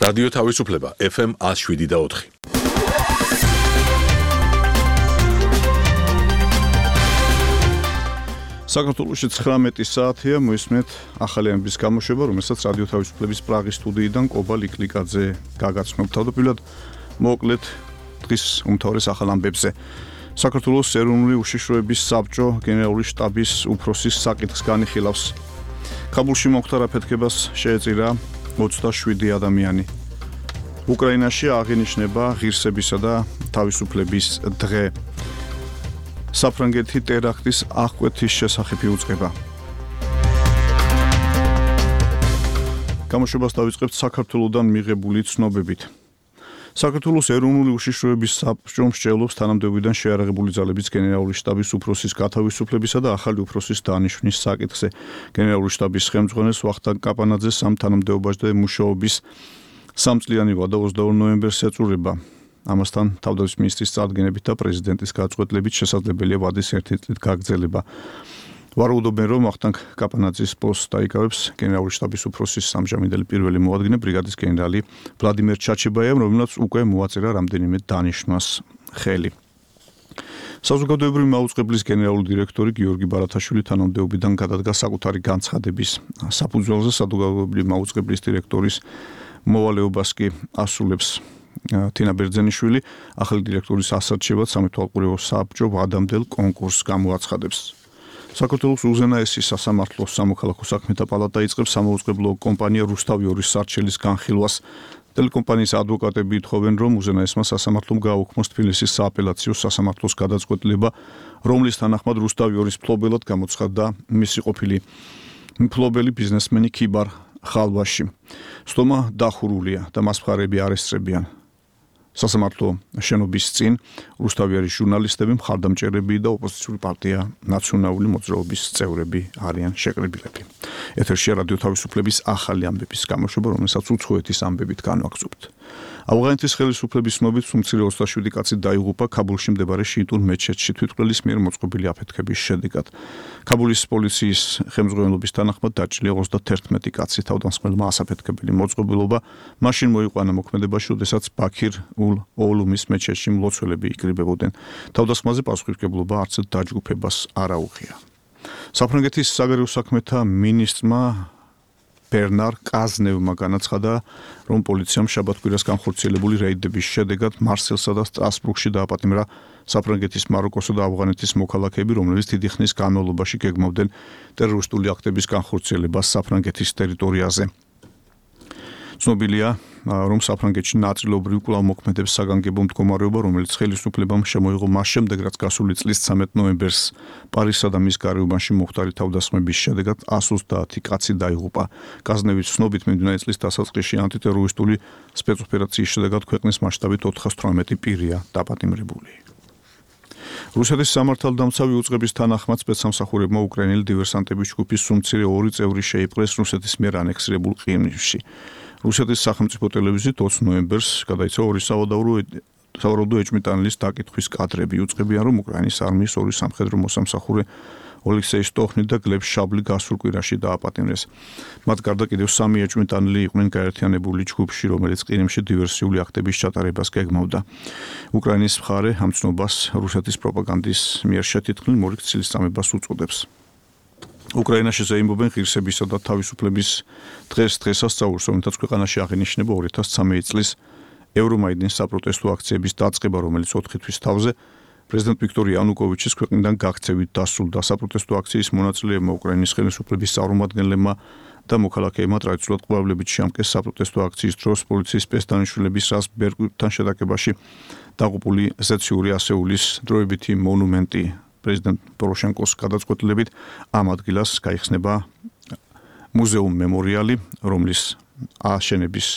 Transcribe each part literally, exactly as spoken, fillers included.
რადიო თავისუფლება ეფ ემ one oh seven და four. საქართველოში ცხრამეტი საათია, მოისმენთ ახალი ამბის გამოშვება, რომელსაც რადიო თავისუფლების პრაღის სტუდიიდან კობა ლიკლიკაძე გაგაცნობ. თავდაპირველად მოკლედ დღის უმთავრეს ახალ ამბებზე. საქართველოს ეროვნული უშიშროების საბჭო გენერალური შტაბის უფროსის საკითხს განიხილავს. ქაბულში მოხდა აფეთქებას შეეწირა ოცდაშვიდი ადამიანი. უკრაინაში აღინიშნება ღირსებისა და თავისუფლების დღე. საფრანგეთი ტერაქტის აღკვეთის შესახებ იუწყება. გამოშვებას დავიწყებთ საქართველოსდან მიღებული ცნობებით. საქართველოს ეროვნული უშიშროების საბჭო მსჯელობს თანამდებობიდან შეარაღებული ძალების გენერალური შტაბის უფროსის გათავისუფლებისა და ახალი უფროსის დანიშვნის საკითხზე. გენერალური შტაბის ხელმძღვანელს ვახტანგ კაპანაძეს ამ თანამდებობაზე მუშაობის სამწლიანი ვადა ოცდაორი ნოემბერს ეწურება. ამასთან თავდაცვის მინისტრის წარდგენებით და პრეზიდენტის გაწყვეტილებით შესაძლებელია ვადის ერთი წლით გაგრძელება. ვარაუდობენ, რომ ვახტანგ კაპანაძის პოსტს დაიკავებს გენერალური შტაბის უფროსის სამჟამინდელი პირველი მოადგილე ბრიგადის გენერალი ვლადიმერ ჩაჩებაევ, რომელსაც უკვე მოაწერა რამდენიმე დანიშვნას ხელი. საზოგადოებრივი მაუწყებლის გენერალური დირექტორი გიორგი ბარათაშვილი თანამდებობიდან გადადგა საკუთარი განცხადების საფუძველზე. საზოგადოებრივი მაუწყებლის დირექტორის მოვალეობას კი ასრულებს თინა ბერძენიშვილი. ახალი დირექტორის ასარჩევად სამეთვალყურეო საბჭო ვადამდელ კონკურსს გამოაცხადებს. საქართველოს უზენაესი სასამართლო სამოქალაქო საქმეთა პალატა იწყებს სამოუწყებლო კომპანია რუსთავი ორის სარჩელის განხილვას. ტელეკომპანიის ადვოკატები ითხოვენ, რომ უზენაესმა სასამართლომ გააუქმოს თბილისის სააპელაციო სასამართლოს გადაწყვეტილება, რომლის თანახმად რუსთავი ორის მფლობელად გამოცხადდა მისი ყოფილი მფლობელი ბიზნესმენი ქიბარ ხალვაში. სტომა დახურულია და მას მხარეები არ ესწრებიან. სასამართლო შენობის წინ რუსთავი არის ჟურნალისტები, მხარდამჭერები და ოპოზიციური პარტია ნაციონალური მოძრაობის წევრები არიან შეკრებილები. ეთერშია რადიო თავისუფლების ახალი ამბების გამოშვება, რომელსაც უცხოეთის ამბებით განვაგრძობთ. ავღანეთის ხელისუფლების ცნობით უმცირე ოცდაშვიდი კაცი დაიღუპა ქაბულში მდებარე შიიტურ მეჩეთში თვითმკვლელის მიერ მოწყობილი აფეთქების შედეგად. ქაბულის პოლიციის ხელმძღვანელობის თანახმად დაჭრილია ოცდათერთმეტი კაცი. თავდამსხმელმა ასაფეთქებელი მოწყობილობა მაშინ მოიყვანა მოქმედებაში, როდესაც ბაქირ ულ ოულუმის მეჩეთში მლოცველები იკრიბებოდნენ. თავდასხმაზე პასუხისმგებლობა არც დაჯგუფებას არ აუღია. საფრანგეთის საგარეო საქმეთა მინისტრმა ბერნარ კაზნევმა განაცხადა, რომ პოლიციამ შაბათ-კვირას განხორციელებული რეიდების შედეგად მარსელსა და სტრასბურგში დააპატიმრა საფრანგეთის, მაროკოსა და ავღანეთის მოქალაქეები, რომლებიც დიდი ხნის განმავლობაში გეგმავდნენ ტერორისტული აქტების განხორციელებას საფრანგეთის ტერიტორიაზე. ცნობილია, რომ საფრანგეთში ნაწილობრივ კვლავ მოქმედებს საგანგებო მდგომარეობა, რომელიც ხელისუფლებამ შემოიღო მას შემდეგ, რაც გასული წლის ცამეტ ნოემბერს პარიზსა და მის გარეუბანში მომხდარი თავდასხმების შედეგად one hundred twenty კაცი დაიღუპა. კაზნევის ცნობით მიმდინარე წლის დასაწყისში ანტიტერორისტული სპეცოპერაციის შედეგად ქვეყნის მასშტაბით ოთხას თვრამეტი პირია დაპატიმრებული. რუსეთის სამართალდამცავი უწყების თანახმად სპეცსამსახურებმა უკრაინელი დივერსანტების ჯგუფის უმცირე ორი წევრი შეიპყრეს რუსეთის მიერ ანექსირებულ ყირიმში. რუსეთის სახელმწიფო ტელევიზიით ოცი ნოემბერს გადაიცა ორი სავარაუდო ეჭვმიტანილის დაკითხვის კადრები. იუწყებიან, რომ უკრაინის არმიის ორი სამხედრო მოსამსახურე ოლექსეი სტოხნი და გლებ შაბლი გასულ კვირაში დააპატიმრეს. მათ გარდა კიდევ სამი ეჭვმიტანილი იყვნენ გაერთიანებული ჯგუფში, რომელიც ყირიმში დივერსიული აქტების ჩატარებას გეგმავდა. უკრაინის მხარე ამ ცნობას რუსეთის პროპაგანდის მიერ შეთითქმულ მორიგ ცილისწამებას უწოდებს. უკრაინაში ზეიმობენ ღირსებისა და თავისუფლების დღეს დღესასწაულს, რომელთაც ქვეყანაში აღინიშნება ორი ათას ცხრამეტი წლის ევრომაიდანის საპროტესტო აქციების დაწყება, რომელიც ოთხი თვის თავზე პრეზიდენტ ვიქტორ იანუკოვიჩის ქვეყნიდან გაქცევით დასრულდა. საპროტესტო აქციის მონაწილეებმა უკრაინის ხელისუფლების წარმომადგენლებმა და მოქალაქეებმა ტრადიციულად ყვავილებით შეამკეს საპროტესტო აქციის დროს პოლიციის სპეცდანიშნულების რას ბერკუტთან შეტაკებაში დაღუპული ზეციური ასეულის დროებითი მონუმენტი. პრეზიდენტ პოროშენკოს გადაწყვეტილებით ამ ადგილას გაიხსნება მუზეუმ მემორიალი, რომლის აშენების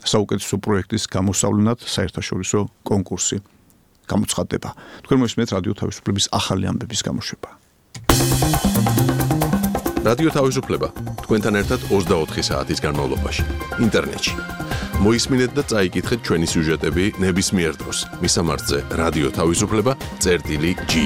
საუკეთესო პროექტის გამოსავლენად საერთაშორისო კონკურსი გამოცხადდება. თქვენ მოისმენთ რადიო თავისუფლების ახალი ამბების გამოშვება. რადიო თავისუფლება თქვენთან ერთად ოცდაოთხი საათის განმავლობაში ინტერნეტში. მოისმინეთ და წაიკითხეთ ჩვენი სიუჟეტები ნებისმიერ დროს. მისამართზე რადიო თავისუფლება წერტილი ჯი.